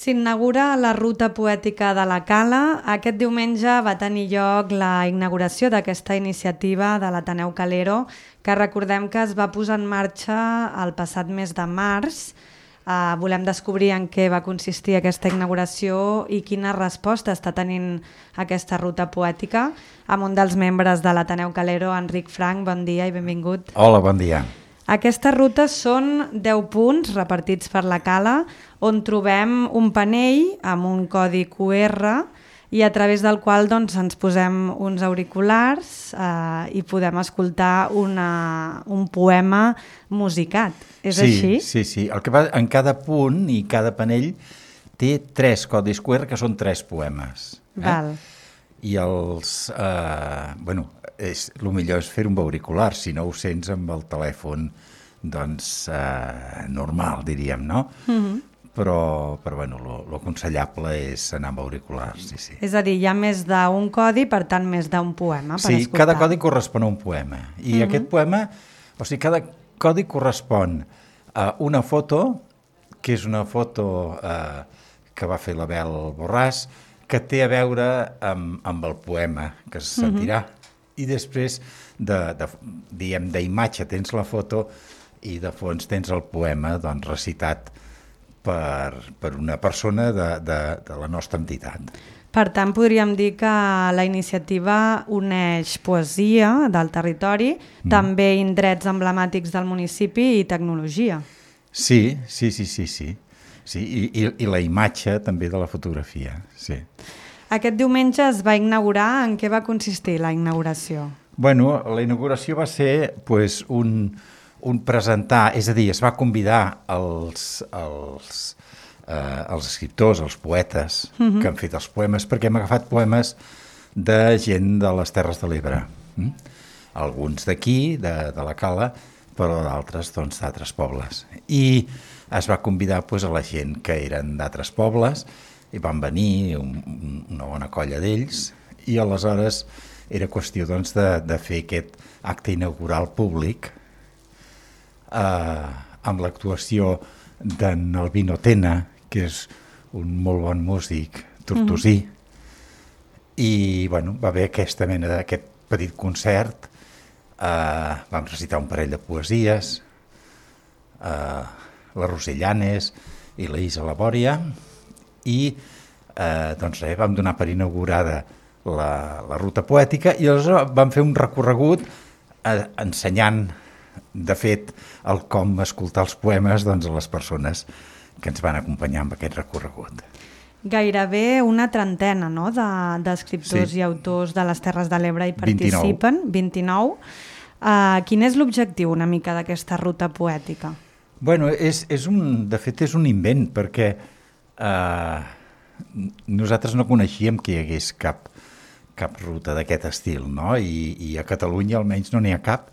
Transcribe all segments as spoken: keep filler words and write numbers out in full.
S'inaugura la Ruta Poètica de la Cala. Aquest diumenge va tenir lloc la inauguració d'aquesta iniciativa de l'Ateneu Calero, que recordem que es va posar en marxa el passat mes de març. Uh, volem descobrir en què va consistir aquesta inauguració i quina resposta està tenint aquesta ruta poètica. Amb un dels membres de l'Ateneu Calero, Enric Frank, bon dia i benvingut. Hola, bon dia. Aquestes rutes són deu punts repartits per la Cala, on trobem un panell amb un codi cu erre i a través del qual doncs, ens posem uns auriculars eh, i podem escoltar una, un poema musicat. És sí, així? Sí, sí. El que va, en cada punt i cada panell té tres codis cu erre que són tres poemes. Eh? Val. I els... Eh, bueno, és, el millor és fer un auricular, si no ho sents amb el telèfon doncs eh, normal, diríem, no? Mm-hmm. Però, però bueno, lo aconsellable és anar amb auriculars, sí, sí. És a dir, hi ha més d'un codi, per tant, més d'un poema per sí, escoltar. Cada codi correspon a un poema. I mm-hmm. aquest poema, o sigui, cada codi correspon a una foto, que és una foto eh, que va fer l'Abel Borràs, que té a veure amb, amb el poema que se sentirà. Mm-hmm. I després, de, de, diguem, d'imatge tens la foto i de fons tens el poema doncs, recitat per, per una persona de, de, de la nostra entitat. Per tant, podríem dir que la iniciativa uneix poesia del territori, mm. també indrets emblemàtics del municipi i tecnologia. Sí, sí, sí, sí, sí. sí i, i, i la imatge també de la fotografia, sí. Aquest diumenge es va inaugurar. En què va consistir la inauguració? Bueno, la inauguració va ser pues, un, un presentar, és a dir, es va convidar els, els, eh, els escriptors, els poetes uh-huh. que han fet els poemes, perquè hem agafat poemes de gent de les Terres de l'Ebre. Mm? Alguns d'aquí, de, de la Cala, però d'altres doncs, d'altres pobles. I es va convidar pues, a la gent que eren d'altres pobles, i van venir un, una bona colla d'ells i aleshores era qüestió doncs, de, de fer aquest acte inaugural públic eh, amb l'actuació d'en Albino Tena, que és un molt bon músic tortosí, mm. i bueno, va haver aquesta mena d'aquest petit concert, eh, vam recitar un parell de poesies, eh, la Rosellanes i la Isa Labòria, i eh, doncs res, vam donar per inaugurada la, la ruta poètica i aleshores vam fer un recorregut eh, ensenyant, de fet, el com escoltar els poemes doncs, a les persones que ens van acompanyar amb aquest recorregut. Gairebé una trentena no? de, d'escriptors sí. i autors de les Terres de l'Ebre hi participen, vint-i-nou. vint-i-nou. Uh, quin és l'objectiu una mica d'aquesta ruta poètica? Bueno, és, és un, de fet és un invent, perquè Uh, nosaltres no coneixíem que hi hagués cap, cap ruta d'aquest estil, no? I, i a Catalunya almenys no n'hi ha cap,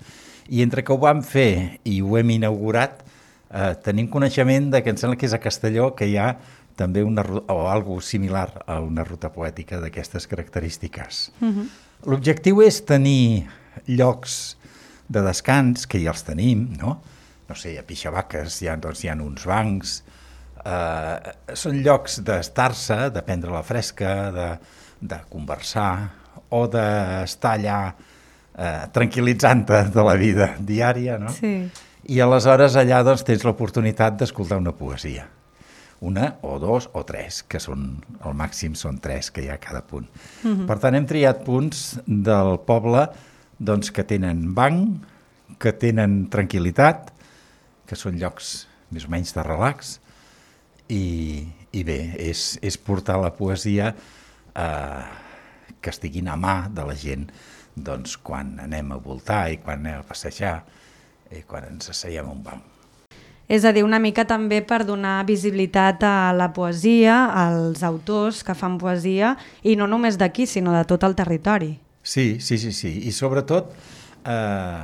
i entre que ho vam fer i ho hem inaugurat uh, tenim coneixement de que em sembla que és a Castelló que hi ha també una o algo similar a una ruta poètica d'aquestes característiques. Uh-huh. L'objectiu és tenir llocs de descans, que ja els tenim, no? No sé, a Pixabaques hi ha, doncs, hi ha uns bancs. Uh, són llocs d'estar-se, de prendre la fresca, de, de conversar o d'estar allà uh, tranquil·litzant-te de la vida diària, no? Sí. I aleshores allà doncs, tens l'oportunitat d'escoltar una poesia. Una o dos o tres, que són, al màxim són tres que hi ha a cada punt. Uh-huh. Per tant, hem triat punts del poble doncs, que tenen banc, que tenen tranquil·litat, que són llocs més o menys de relax, I, i bé, és, és portar la poesia eh, que estiguin a mà de la gent doncs, quan anem a voltar i quan anem a passejar i quan ens asseiem a un banc. És a dir, una mica també per donar visibilitat a la poesia, als autors que fan poesia, i no només d'aquí, sinó de tot el territori. Sí, sí, sí, sí. I sobretot eh,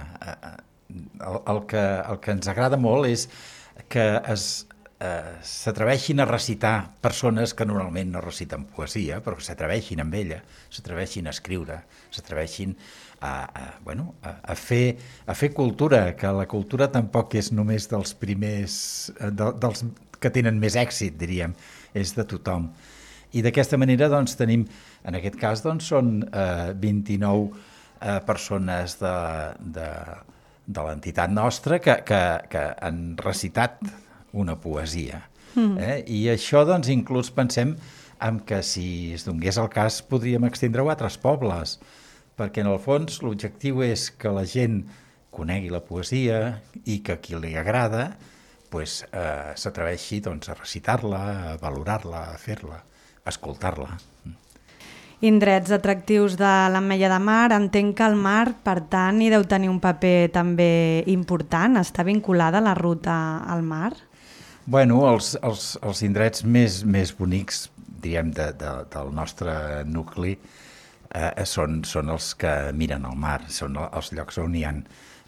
el, el, que, el que ens agrada molt és que es Uh, s'atreveixin a recitar persones que normalment no reciten poesia, però que s'atreveixin amb ella, s'atreveixin a escriure, s'atreveixin a, a, bueno, a, a, fer, a fer cultura, que la cultura tampoc és només dels primers, de, dels que tenen més èxit, diríem, és de tothom. I d'aquesta manera doncs, tenim, en aquest cas, doncs, són eh, vint-i-nou eh, persones de, de, de l'entitat nostra que, que, que han recitat una poesia. Mm. Eh? I això, doncs, inclús pensem en que si es donés el cas podríem extendre-ho a altres pobles, perquè en el fons l'objectiu és que la gent conegui la poesia i que a qui li agrada pues, eh, s'atreveixi doncs, a recitar-la, a valorar-la, a fer-la, a escoltar-la. Indrets atractius de l'Ametlla de Mar, entenc que el mar, per tant, hi deu tenir un paper també important, està vinculada la ruta al mar? Bueno, els, els, els indrets més, més bonics, diguem, de, de, del nostre nucli eh, són, són els que miren al mar, són els llocs on hi ha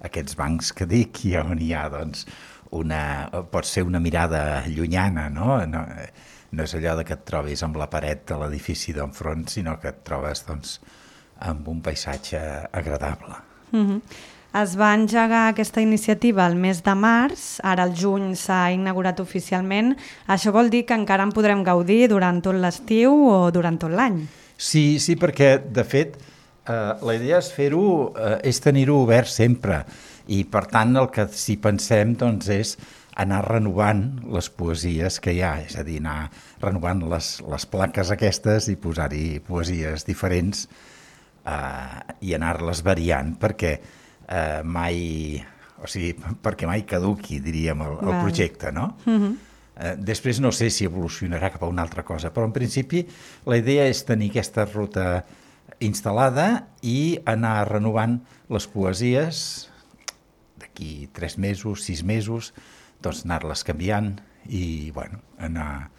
aquests bancs que dic i on hi ha, doncs, una, pot ser una mirada llunyana, no? No, no és allò de que et trobis amb la paret de l'edifici d'enfront, sinó que et trobes, doncs, amb un paisatge agradable. Mm-hmm. Es va engegar aquesta iniciativa el mes de març, ara al juny s'ha inaugurat oficialment. Això vol dir que encara en podrem gaudir durant tot l'estiu o durant tot l'any? Sí, sí, perquè, de fet, eh, la idea és fer-ho, eh, és tenir-ho obert sempre. I, per tant, el que si pensem doncs, és anar renovant les poesies que hi ha, és a dir, anar renovant les, les plaques aquestes i posar-hi poesies diferents eh, i anar-les variant, perquè Uh, mai, o sigui, perquè mai caduqui, diríem, el, el projecte, no? Uh-huh. Uh, després no sé si evolucionarà cap a una altra cosa, però en principi la idea és tenir aquesta ruta instal·lada i anar renovant les poesies d'aquí tres mesos, sis mesos, doncs anar-les canviant i, bueno, anar,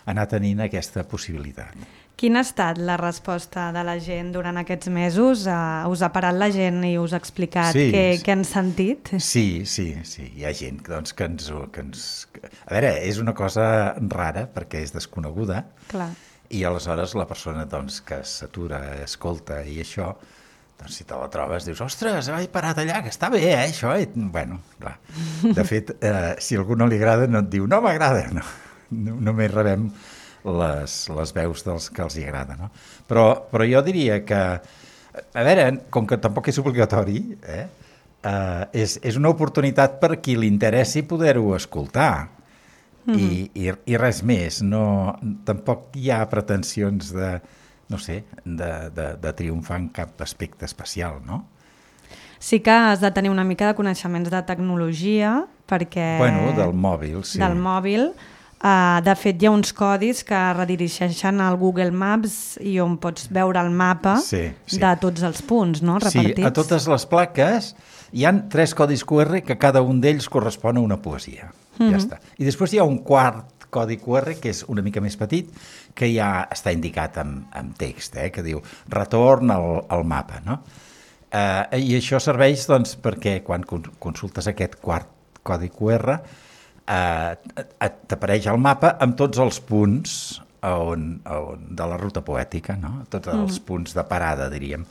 anar tenint aquesta possibilitat. Quina ha estat la resposta de la gent durant aquests mesos? Uh, us ha parat la gent i us ha explicat sí, què, sí. què han sentit? Sí, sí, sí. Hi ha gent doncs, que, ens, que ens... A veure, és una cosa rara perquè és desconeguda. Clar. I aleshores la persona doncs, que s'atura, escolta i això, doncs si te la trobes dius, ostres, he parat allà, que està bé, eh, això. I, bueno, clar. De fet, eh, si a algú no li agrada no et diu, no m'agrada, no. no. Només rebem Les, les veus dels que els hi agrada, no? Però, però jo diria que, a veure, com que tampoc és obligatori, eh, eh, és, és una oportunitat per qui li interessi poder-ho escoltar. Mm-hmm. I, i, i res més. No, tampoc hi ha pretensions de, no sé, de, de, de triomfar en cap aspecte especial, no? Sí que has de tenir una mica de coneixements de tecnologia, perquè... Bueno, del mòbil, sí. Del mòbil. Uh, de fet, hi ha uns codis que redirigeixen al Google Maps i on pots veure el mapa sí, sí. de tots els punts, no? Repartits. Sí, a totes les plaques hi ha tres codis Q R que cada un d'ells correspon a una poesia. Mm-hmm. Ja està. I després hi ha un quart codi Q R que és una mica més petit, que ja està indicat amb, amb text, eh? Que diu retorn al, al mapa, no? Uh, I això serveix doncs, perquè quan consultes aquest quart codi Q R Uh, t'apareix el mapa amb tots els punts on, on, de la ruta poètica, no? Tots els mm. punts de parada, diríem.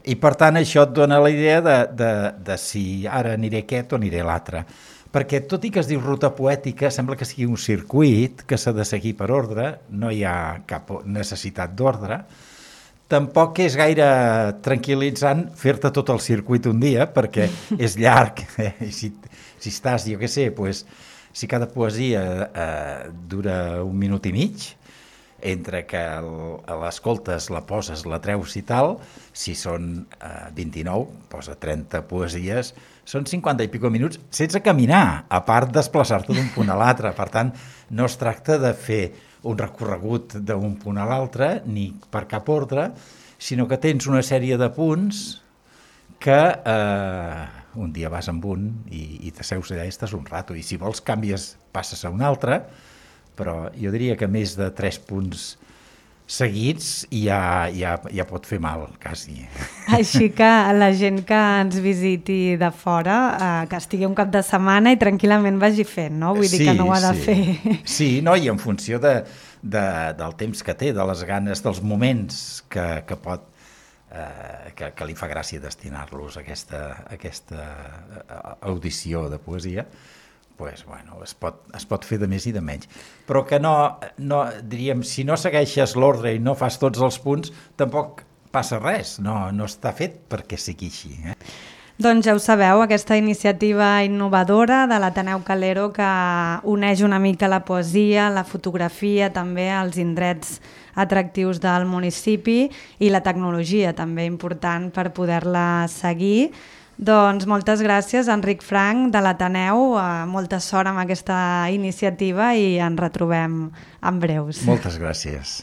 I per tant això et dona la idea de, de, de si ara aniré aquest o aniré l'altre. Perquè tot i que es diu ruta poètica, sembla que sigui un circuit que s'ha de seguir per ordre, no hi ha cap necessitat d'ordre. Tampoc és gaire tranquil·litzant fer-te tot el circuit un dia, perquè és llarg. Eh? I si, si estàs, jo què sé, doncs, si cada poesia eh, dura un minut i mig, entre que l'escoltes, la poses, la treus i tal, si són eh, vint-i-nou, posa trenta poesies, són cinquanta i pico minuts sense caminar, a part desplaçar-te d'un punt a l'altre. Per tant, no es tracta de fer un recorregut d'un punt a l'altre, ni per cap ordre, sinó que tens una sèrie de punts que... Eh, un dia vas amb un i, i t'asseus allà i estàs un rato, i si vols canvies, passes a un altre, però jo diria que més de tres punts seguits ja, ja, ja pot fer mal, quasi. Així que la gent que ens visiti de fora, eh, que estigui un cap de setmana i tranquil·lament vagi fent, no? Vull dir sí, que no ho ha de sí. fer. Sí, no, i en funció de, de, del temps que té, de les ganes, dels moments que, que pot Eh, que, que li fa gràcia destinar-los a aquesta, a aquesta audició de poesia, pues, bueno, es pot, es pot fer de més i de menys. Però que no, no diríem, si no segueixes l'ordre i no fas tots els punts, tampoc passa res, no, no està fet perquè sigui així. Eh? Doncs ja ho sabeu, aquesta iniciativa innovadora de l'Ateneu Calero que uneix una mica la poesia, la fotografia, també els indrets atractius del municipi i la tecnologia també important per poder-la seguir. Doncs moltes gràcies, Enric Franch, de l'Ateneu, molta sort amb aquesta iniciativa i ens retrobem en breus. Moltes gràcies.